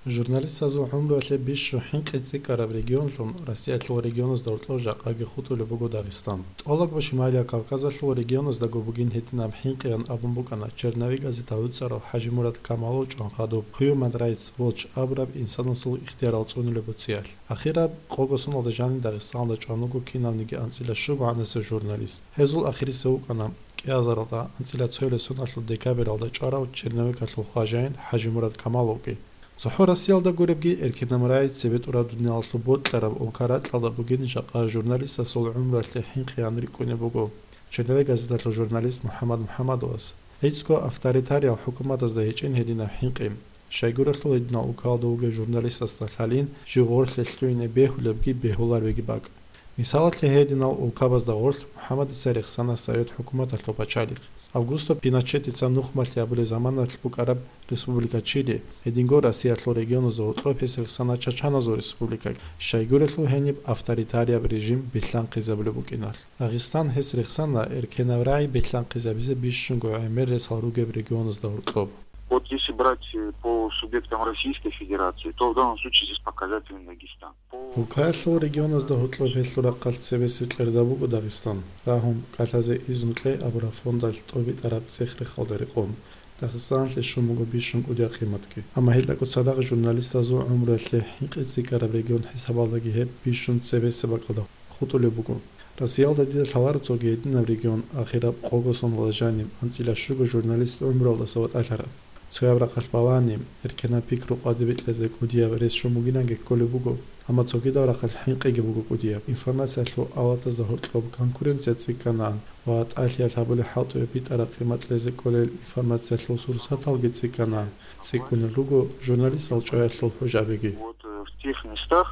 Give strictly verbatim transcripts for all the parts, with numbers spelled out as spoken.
Журналистазул гӀумруялъе бищун хӀинкъи цӀикӀкӀараб регионлъун Россиялъул регионазда гьоркьоб жакъаги хутӀулеб буго Дагъистан. ТӀолабго Шималияб Кавказалъул регионаздаго бугин гьединаб хӀинкъиян абун букӀана черновик газета гьуцӀарав ХӀажимурад Камалов чӀван хадуб Human Rights Watch абураб инсанасул ихтиярал цӀунулеб буцӀиялъ. Ахираб къого соналда жаниб Дагъистаналда чӀван вуго кинавниги анцӀила щуго гӀанасев журналист. Гьезул ахирисев вукӀана кӀиазаралда анцӀила цоялъ соналъул декабралда чӀварав черновикалъул хважаин ХӀажимурад Камаловги. ЦохӀо Россиялда гуребги, эркинаб рагӀи цебетӀураб дуниялалъул бокьараб улка-ракьалда бугин жакъа журналистасул гӀумруялъе хӀинкъиян рикӀкӀунеб буго. Черновик газеталъул журналист МухӀаммад МухӀаммадовас гӀицӀго авторитариял хӀукуматазда гьечӀин гьединаб хӀинкъи. Щайгурелъул гьединал улкалда вугев журналистасда лъалин жив гъорлъе лъугьине бегьулебги бегьуларебги бакӀ. Мисалалъе, гьединал улкабазда гъорлъ МухӀаммадица рехсана совет хӀукуматалъул пачалихъ. Августо Пиночетица нухмалъи абулеб заманалъ букӀараб Республика Чили, гьединго Россиялъул регионазда гьоркьоб гьес рехсана чачаназул республика, щайгурелъул гьениб авторитарияб режим билълъанхъизабулеб букӀиналъ. Дагъистан гьес рехсана эркенаб рагӀи билълъанхъизабизе бищунго гӀемер ресал ругеб регионазда гьоркьоб. Вот если брать, э, по субъектам Российской Федерации, то в данном случае здесь показателен Дагестан. Улкаялъул регионазда гьоркьоб гьелъул рахъалъ цебесеб кьерда буго Дагъистан, рагьун, кӀалъазе изну кье абураб фондалъ тӀобитӀараб цӀех-рехалда рекъон. Дагъистаналъе щун буго бищун кӀудияб къиматги. Амма гьелдакӀо цадахъ журналистазул гӀумруялъе хӀинкъи цӀикӀкӀараб регион хӀисабалдаги гьеб бищун цебесеб бакӀалда хутӀулеб буго. Россиялда дида лъаларо цоги гьединаб регион ахираб къого соналда жаниб анцӀила щуго журналист гӀумруялдаса ватӀалъараб. Цояб рахъалъ балани, эркенаб пикру къватӀибе кьезе кӀудияб рес щун бугинанги кколеб буго, амма цогидаб рахъалъ хӀинкъиги буго кӀудияб. Информациялъул аватазда гьоркьоб конкуренция цӀикӀкӀанаан ва тӀалъиялъ гьабулеб хӀалтӀуе битӀараб къимат кьезе кӀолел информациялъул сурсаталги цӀикӀкӀанаан, цӀикӀкӀунел руго журналистал чӀваялъул хӀужабиги. Вот, э, в тех местах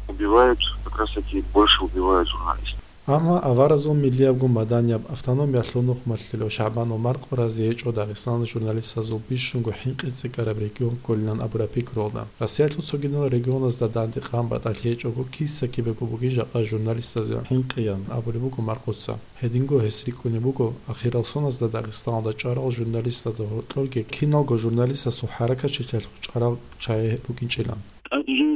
убивают, как раз таки больше убивают журналистов. Амма аваразул миллиябго маданияб автономиялъул нухмалъулев ШагӀбанов Маркъо рази гьечӀо Дагъистаналда журналистазул бищунго хӀинкъи цӀикӀкӀараб регион кколилан абураб пикруялда. Россиялъул цогидал регионазда данде къан батӀалъи гьечӀого киса-кибего бугин жакъа журналистазе хӀинкъиян абулеб буго Маркъоца. Гьединго гьес рикӀкӀунеб буго, ахирал соналда Дагъистаналда чӀварал журналистазда гьоркьорги киналго журналистасул хӀаракатчилъиялъухъ чӀварал чагӀи рукӀинчӀилан. ТӀаде жо-,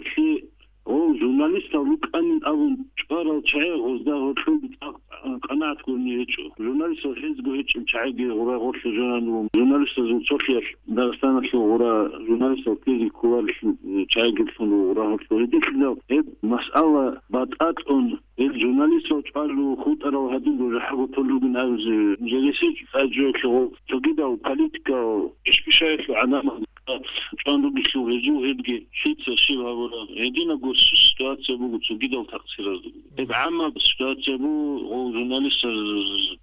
гьев журналистал рукӀанин абун чӀварал чагӀи гъозда гьоркьоги цӀакъ къанагӀат гурони гьечӀо. Журналистал хӀезго гьечӀеб чагӀиги гъура гъорлъе жанан руго. Журналистазул цолъиялъ Дагъистаналъул гъура журналистал ккезе кколарелъул чагӀигилъун руго гъура гьоркьо. Гьединлъидал гьеб масъала батӀа кьун, гьел журналистал чӀвалел хутӀарал гьадинго жахӀалго тол ругин абизе, жегесечӀо тӀаде жо-, гьев цогидал политикал ишбишаялъул гӀадамал чӀван ругелъул гьезул гьебги лъица щиб гьабураб, гьединабго ситуация буго цогидал такъсиразда. Гьеб гӀаммаб ситуация буго, гъов журналистаз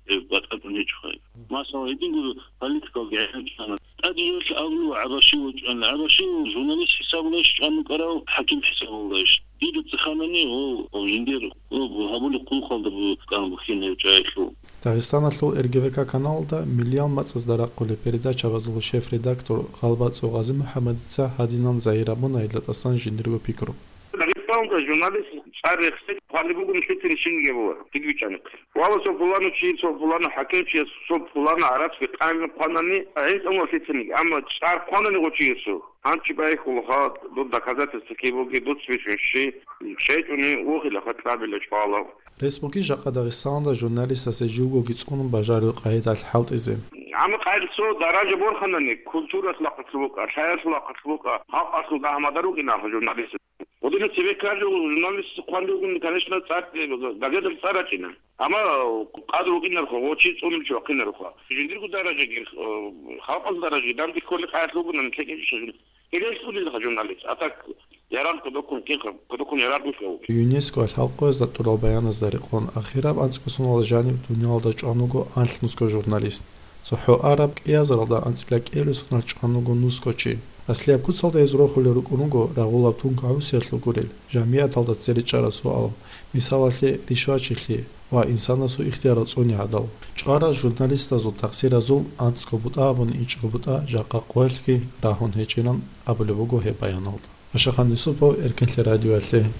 гьеб батӀа кьун гьечӀо хай. Масала, гьединго политикалги гӀенеккана. ТӀаде жо-, абулеб гӀабаши вачӀана. ГӀабаши журналист хӀисабулайищ чӀван вукӀарав, хӀаким хӀисабулайищ? Дида цӀеханани, гъов, гъов жиндир, гъов гьабулеб хъулухъалда букӀана бухьине чӀваялъул. Дагъистаналъул РГВК каналалда миллиял мацӀазда рахъулеб передачабазул шеф-редактор ГъалбацӀцӀу ГъазимухӀаммадица гьадинан загьир абуна гьелда тӀасан жиндирго пикру. Дагъистаналда журналист чӀвар рехсей хъвалеб бугони лъицаниги щибниги абула, дида бичӀчӀанихъе. Валлагь, цо пуланав чи, цо пуланав хӀакимчияс, цо пуланав гӀарацги къайгъи хъванани, гӀинкъун лъицаниги, амма чӀвар хъванани гъов чиясул, гьанчи байхьулаха, дуда доказательства киб бугеб, дуца бицун щи, щайчӀони вугила, хатӀабила чӀвала. Рес бугищ жакъа Дагъистаналда журналистасе живгоги цӀунун бажарулеб къагӀидалъ хӀалтӀизе? Амма къайгъи цо даража борханани, культуралъул рахъалъ букӀа, лъаялъул рахъалъ букӀа, халкъалъул дагьмадар рукӀиналха журналист. Гъодинаб цебе ккарав журналист хъван ругони, конечно, цӀар-, газеталъ цӀар рачӀина. Амма къадру вукӀинарха, гъов чи цӀунев чи вахъинарха. Жиндирго даражаги, э, халкъалъул даражаги данде кколеб къайгъи бугони, ккечӀищ журналист. Гьелъул дилха журналист. А так, ярагъ кодоккун ккеха, кодоккун ярагъ вихьав. ЮНЕСКО-алъ хӀалкъоязда тӀурал баяназда рекъон, ахираб анцӀго соналда жаниб дуниялалда чӀван вуго анлънусго журналист. ЦохӀо араб кӀиазаралда анцӀила кӀиабилеб соналъ чӀван вуго нусго чи. Аслияб куцалда гьез рохулел рукӀун руго рагъулаб тункагӀусиялъул гурел, жамигӀаталда цере чӀараб суал, мисалалъе, ришвачилъи ва инсанасул ихтиярал цӀуни гӀадал. ЧӀварал журналистазул такъсиразул анцӀго бутӀа абун ичӀго бутӀа жакъа къоялъги рагьун гьечӀилан абулеб буго гьеб баяналда. Ашахан Юсупов, Эркенлъи радиоялъе,